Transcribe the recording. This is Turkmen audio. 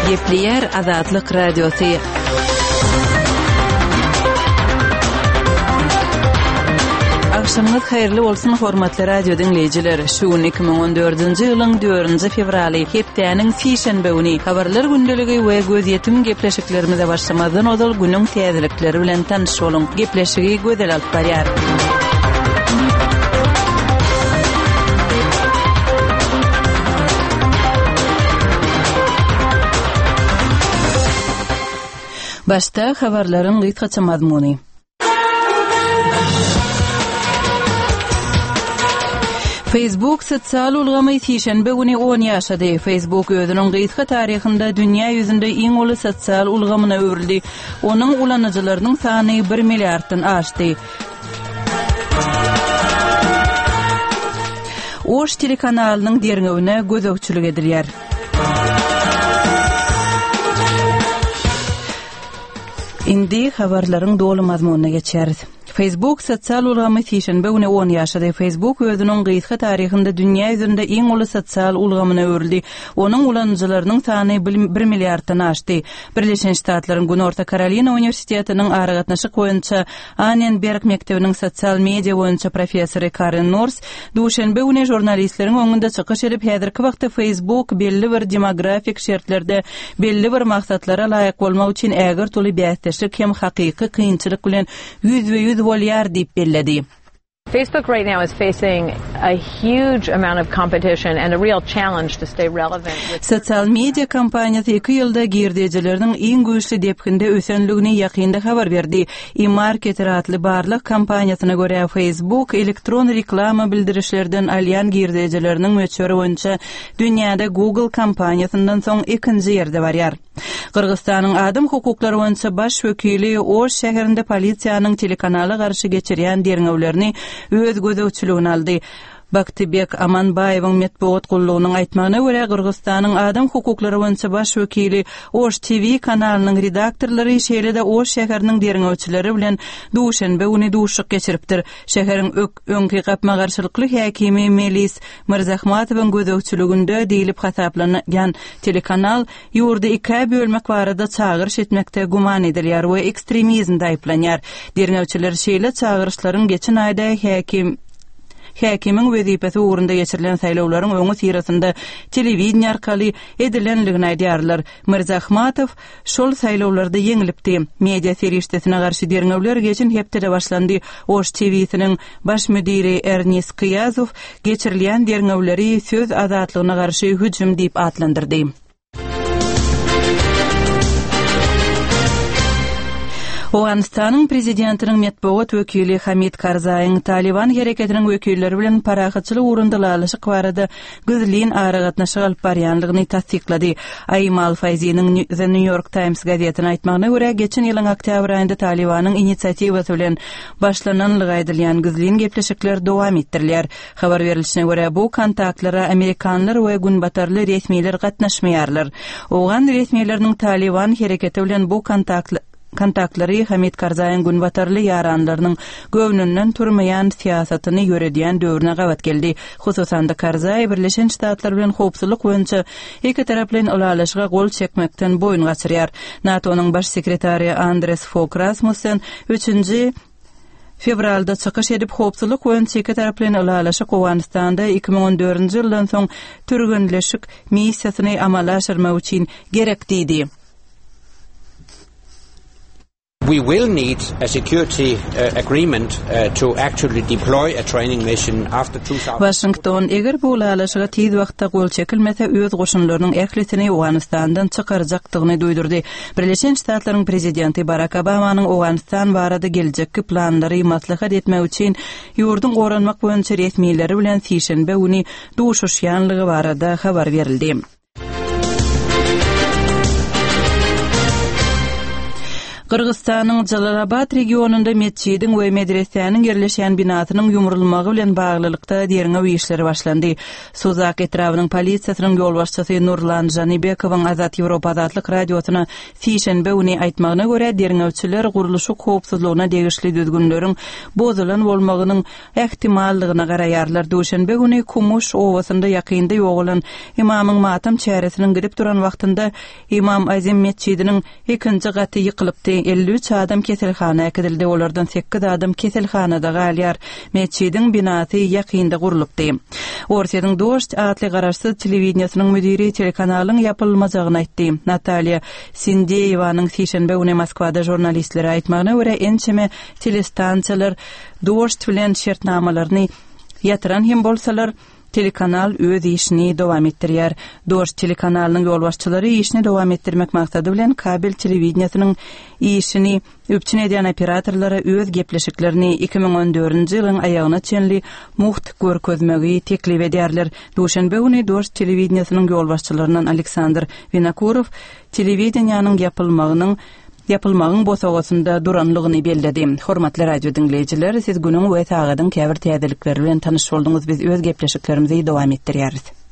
Gepleýär Azatlyk Radiosy. Agşamyňyz haýyrly bolsun, hormatly radio diňleýjiler! Şu gün 2014-nji ýylyň 4-nji fewraly, hepdäniň sişenbe güni. Habarlar gündeligi we gözýetim gepleşiklerimize başlamazdan ozal günüň täzelikleri bilen tanyş boluň. Gepleşigi Gözel alyp barýar. Başda habarlaryň gysgaça mazmuny. Facebook sosial ulgamy sişenbe güni 10 ýaşady. Facebook özüniň gysga taryhynda dünýä ýüzünde iň uly sosial ulgamyna öwrüldi. Onuň ulanyjylarynyň sany bir milliarddan aşdy. Oş telekanalynyň derňewine gözegçilik edilýär. Indi habarlaryň doly mazmunyna geçýäris. Facebook sosial ulgamy sişenbe güni on ýaşady. Facebook özüniň gysga taryhynda dünýä ýüzünde iň uly sosial ulgamyna öwrüldi. Onuň ulanyjylarynyň sany bir milliarddan aşdy. Birleşen Ştatlaryň Günorta Karolina uniwersitetiniň aragatnaşyk boýunça Annenberg mekdebiniň sosial media boýunça professory Karen Nors duşenbe güni žurnalistleriň öňünde çykyş edip, häzirki wagtda Facebook belli bir demografik şertlerde belli bir maksatlara laýyk bolmak üçin ägirt uly bäsdeşlik hem hakyky kynçylyk bilen ýüzbe-ýüz bolýar diýip belledi. Facebook right now is facing a huge amount of competition and a real challenge to stay relevant with Sosial media kompaniýasy iki ýylda girdejileriniň iň güýçli depginde ösenligini ýakynda habar berdi. eMarketer atly barlag kompaniýasyna görä, Facebook elektron reklama bildirişlerden alýan girdejileriniň möçberi boýunça dünýäde Google kompaniýasyndan soň ikinji ýerde barýar. Gyrgyzystanyň adam hukuklary boýunça baş wekili Oş şäherinde polisiýanyň telekanala garşy geçirýän derňewlerini öz gözegçiligine aldy. Baktybek Amanbaýewiň metbugat gullugynyň aýtmagyna görä, Gyrgyzystanyň adam hukuklary boýunça baş wekili Oş TV kanalynyň redaktorlary, şeýle-de Oş şäheriniň derňewçileri bilen duşenbe güni duşuşyk geçiripdir. Şäheriň öňki gapma-garşylykly häkimi Melis Myrzahmatowyň gözegçiliginde diýlip hasaplanýan telekanal ýurdy ikä bölmek barada çagyryş etmekde güman edilýär we ekstremizmde aýyplanýar. Derňewçiler şeýle çagyryşlaryň geçen aýda häkim häkimiň wezipesi ugrunda geçirilen saýlawlaryň öňüsyrasynda telewideniýe arkaly edilendigini aýdýarlar. Myrzahmatow şol saýlawlarda ýeňlipdi. Media serişdesine garşy derňewler geçen hepdede başlandy. Oş TW-siniň baş müdiri Ernis Kyýazow geçirilýän derňewleri söz azatlygyna garşy hüjüm diýip atlandyrdy. Owganystanyň prezidentiniň metbugat wekili Hamid Karzaýyň Talyban hereketiniň wekilleri bilen parahatçylyk ugrunda ylalaşyk barada gizlin aragatnaşyk alyp barýandygyny tassyklady. Aimal Faýziniň The New York Times gazetine aýtmagyna görä, geçen ýylyň oktýabr aýynda Talybanyň inisiatiwasy bilen başlananlygy aýdylýan gizlin gepleşikler dowam etdirilýär. Habar berlişine görä, bu kontaktlara amerikanlar we günbatarly resmiler gatnaşmaýarlar. Owgan resmileriniň Talyban hereketi bilen bu kontaktlary Hamid Karzaýyň günbatarly ýaranlarynyň göwnünden turmaýan syýasatyny ýöredýän döwrüne gabat geldi. Hususan-da, Karzaý Birleşen Ştatlar bilen howpsuzlyk boýunça ikitaraplaýyn ylalaşyga gol çekmekden boýun gaçyrýar. NATO-nyň baş sekretary Andres Fog Rasmussen üçünji Fewralda çykyş edip, howpsuzlyk boýunça ikitaraplaýyn ylalaşyk Owganystanda 2014-nji ýyldan soň türgenleşik missiýasyny amala aşyrmak üçin gerek diýdi. We will need a security agreement to actually deploy a training mission after Waşington, eger bu ylalaşyga tiz wagtda gol çekilmese, öz goşunlarynyň ählisini Owganystandan çykarjakdygyny duýdurdy. Birleşen Ştatlaryň prezidenti Barak Obamanyň Owganystan barada geljekki planlary maslahat etmek üçin ýurduň goranmak boýunça resmileri bilen sişenbe güni duşuşýanlygy barada habar berildi. Gyrgyzystanyň Jalalabat regionynda metjidiň we medresäniň ýerleşýän binasynyň ýumrulmagy bilen baglylykda derňew işleri başlandy. Suzak etrabynyň polisiýasynyň ýolbaşçysy Nurlan Žanybekowyň Azat Ýewropa Azatlyk Radiosyna sişenbe güni aýtmagyna görä, derňewçiler gurluşyk howpsuzlygyna degişli düzgünleriň bozulan bolmagynyň ähtimallygyna garaýarlar. Duşenbe güni Kumuş obasynda ýakynda ýogalan ymamyň matam çäresiniň gidip duran wagtynda Ymam Azim metjidiniň ikinji gaty ýykylypdy. 53 adam keselhana äkidildi, olardan sekiz adam keselhanada galýar. Metjidiň binasy ýakynda gurlupdy. Orsýetiň Dožd atly garaşsyz telewideniýesiniň müdiri telekanalyň ýapylmajagyny aýtdy. Natalýa Sindeýewanyň sişenbe güni Moskwada žurnalistlere aýtmagyna görä, ençeme telestansiýalar Dožd bilen şertnamalaryny ýatyran hem bolsalar, Telekanal öz işini dowam etdirýär. Dožd telekanalynyň ýolbaşçylary işini dowam etdirmek maksady bilen kabel telewideniýesiniň işini üpjün edýän operatorlara öz gepleşiklerini 2014-nji ýylyň aýagyna çenli mugt görkezmegi teklip edýärler. Duşenbe güni Dožd telewideniýesiniň ýolbaşçylaryndan Aleksandr Winokurow telewideniýäniň ýapylmagynyň ýapylmagyň bosagasynda duranlygyny belledi. Hormatly radio diňleýjiler, siz günüň we sagadyň käbir täzelikleri bilen tanyş bolduňyz. Biz öz gepleşiklerimizi dowam etdirýäris.